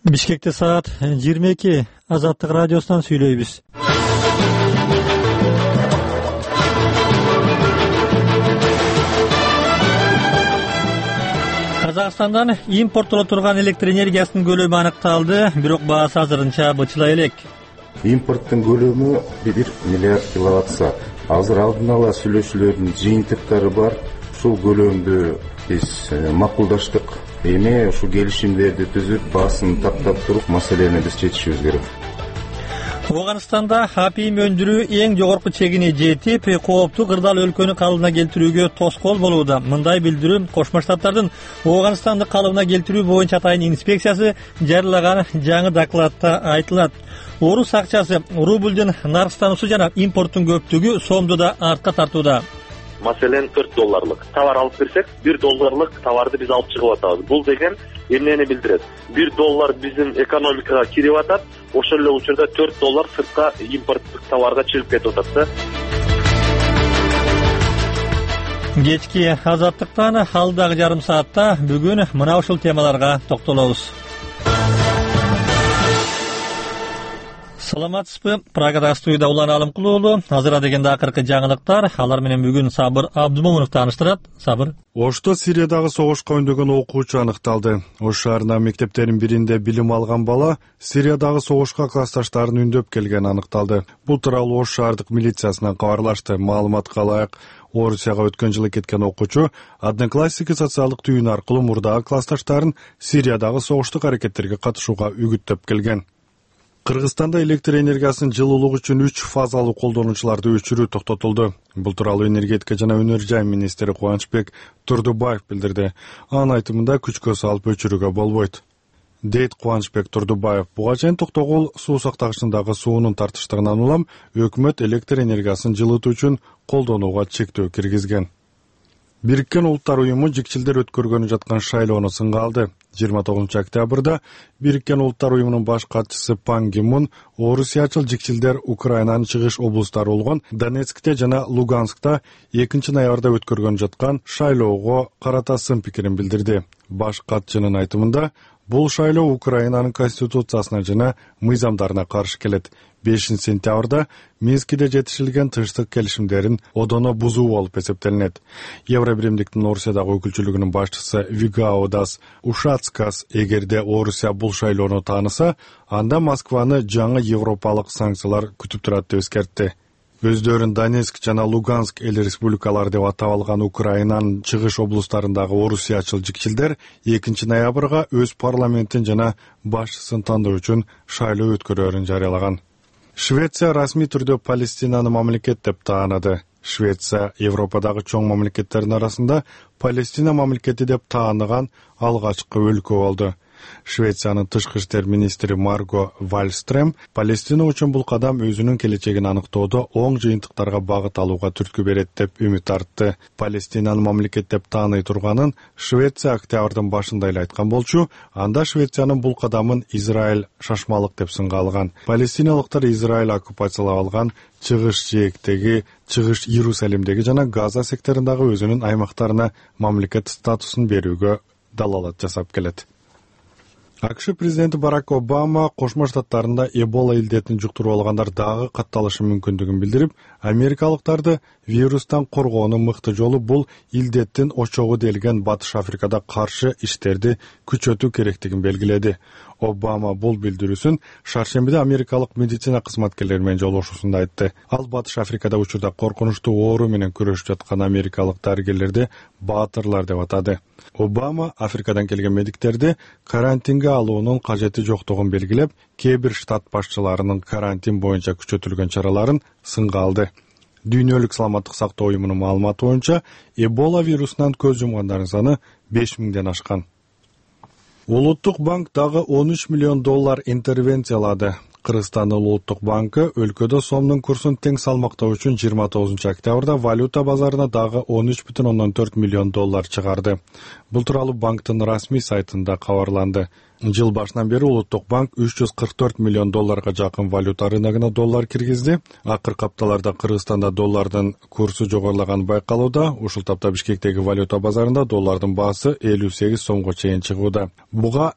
Бишкекте саат 22. Азаттык радиосунан сүйлөйбүз. Казакстандан импорттоло турган электр энергиясынын көлөмү аныкталды, бирок баасы азырынча бычыла элек. Импорттун көлөмү 1 миллиард киловатт. Азыр алдын ала сүйлөшүүлөрдүн жыйынтыктары бар. Ушул көлөмдү биз макулдаштык. Эми ушу келишимдерди түзүп, баасын тактап туруп, маселени биз чечишибиз керек. Ооганстанда апийим өндүрүү эң жогорку чегине жетип, кооптуу кырдаал өлкөнү калыбына келтирүүгө тоскоол болууда. Мындай билдирүү Кошмо Штаттардын Ооганстанды калыбына келтирүү боюнча атайын инспекциясы жарыялаган жаңы докладта айтылат. Орус акчасы, рублдун наркстануусу жана импорттун көптүгү сомду да артка тартууда. Маселен $4 товар алып кирсек, $1 товарды биз алып чыгып атабыз. Бул деген эмнени билдирет? $1 биздин экономикага кирип атат, ошол эле учурда $4 сыртка импорттук товарга чыгып кетип атат да. Кечки азаттыктан алдагы жарым саатта бүгүн мына ушул темаларга токтолобуз. Саламатсызбы? Прагада студияда Улан Алымкул уулу. Азыр дегенде акыркы жаңылыктар. Алар менен бүгүн Сабыр Абдумомунов тааныштырат. Сабыр. Ошто Сириядагы согушка өндөгөн окуучу аныкталды. Ош шаарынын мектептеринин биринде билим алган бала Сириядагы согушка классташтарын үндөп келгени аныкталды. Бул тууралуу Ош шаардык милициясынан кабарлашты. Маалыматка ылайык, Орусияга өткөн жылы кеткен окуучу Одноклассники социалдык түйүнү аркылуу мурдагы классташтарын Сириядагы согуштук аракеттерге катышууга үгүттөп келген. Кыргызстанда электр энергиясынын жылуулук үчүн 3 фазалуу колдонуучуларды өчүрүү токтотулду. Бул тууралуу энергетика жана өнөр жай министри Кубанычбек Турдубаев билдирди. Анын айтымында күчкө салып өчүрүүгө болбойт, дейт Кубанычбек Турдубаев. Буга чейин токтогул суу сактагычындагы суунун тартыштыгынан улам өкмөт электр энергиясын жылытуу үчүн колдонууга чектөө киргизген. Бириккен Улуттар уюму жикчилдер өткөргөнү жаткан шайлоону сынга алды. 29 октябрда Бириккен Улуттар уюмунун баш катчысы Пан Ги Мун орусиячыл жикчилдер Украинанын чыгыш облустары болгон Донецкте жана Луганскта 2 ноябрда өткөргөнү жаткан шайлоого карата сын пикирин билдирди. Баш катчынын айтымында, бул шайлоо Украинанын конституциясына жана мыйзамдарына каршы келет. 5 сентябрда Минскиде жетишилген тынчтык келишимдерин одоно бузуу болуп эсептелинет. Евробиримдиктин Орусиядагы өкүлчүлүгүнүн башчысы Вигаудас Ушацкас эгерде Орусия бул шайлоону тааныса, анда Москваны жаңы европалык санкциялар күтүп турат деп эскертти. Өздөрүн Донецк жана Луганск эл республикалары деп атап алган Украинанын чыгыш облустарындагы орусиячыл жикчилдер 2 ноябрга өз парламентин жана башчысын тандоо үчүн шайлоо өткөрөөрүн жарыялаган. Швеция расмий түрдө Палестинаны мамлекет деп таанады. Швеция Европадагы чоң мамлекеттердин арасында Палестина мамлекети деп тааныган алгачкы өлкө болду. Швециянын тышкы иштер министри Марго Вальстрем Палестина үчүн бул кадам өзүнүн келечегин аныктоодо оң жыйынтыктарга багыт алууга түрткү берет деп үмүт артты. Палестинаны мамлекет деп тааный турганын Швеция октябрдын башында эле айткан болчу, анда Швециянын бул кадамын Израиль шашмалык деп сынга алган. Палестиналыктар Израиль оккупациялап алган чыгыш жээктеги, чыгыш Иерусалимдеги жана Газа секторундагы өзүнүн аймактарына мамлекет статусун берүүгө далалат жасап келет. АКШ президенти Барак Обама Кошмо Штаттарында Эбола илдетин жуктуруп алгандар дагы катталышы мүмкүндүгүн билдирип, америкалыктарды вирустан коргоонун мыкты жолу бул илдеттин очогу делген Батыш Африкада каршы иштерди күчөтүү керектигин белгиледи. Обама бул билдирүүсүн шаршембиде америкалык медицина кызматкерлери менен жолугушуусунда айтты. Ал Батыш Африкада учурда коркунучтуу оору менен күрөшүп жаткан америкалык дарыгерлерди баатырлар деп атады. Обама Африкадан келген медиктерди карантинге алуунун кажети жоктугун белгилеп, кээ бир штат башчыларынын карантин боюнча күчөтүлгөн чараларын сынга алды. Дүйнөлүк саламаттык сактоо уюмунун маалыматы боюнча Эбола вирусунан көз жумгандардын саны 5000ден ашкан. Улуттук банк дагы $13 миллион интервенциялады. Кыргызстандын Улуттук банкы өлкөдө сомдун курсун тең салмактоо үчүн 29 октябрда валюта базарына дагы $13,4 миллион чыгарды. Бул тууралуу банктын расмий сайтында кабарланды. Жыл башынан бери Улуттук банк $344 миллион жакын валюта рыногуна доллар киргизди. Акыркы апталарда Кыргызстанда доллардын курсу жогорулаганы байкалууда. Ушул тапта Бишкектеги валюта базарында доллардын баасы 58 сомго чейин чыгууда. Буга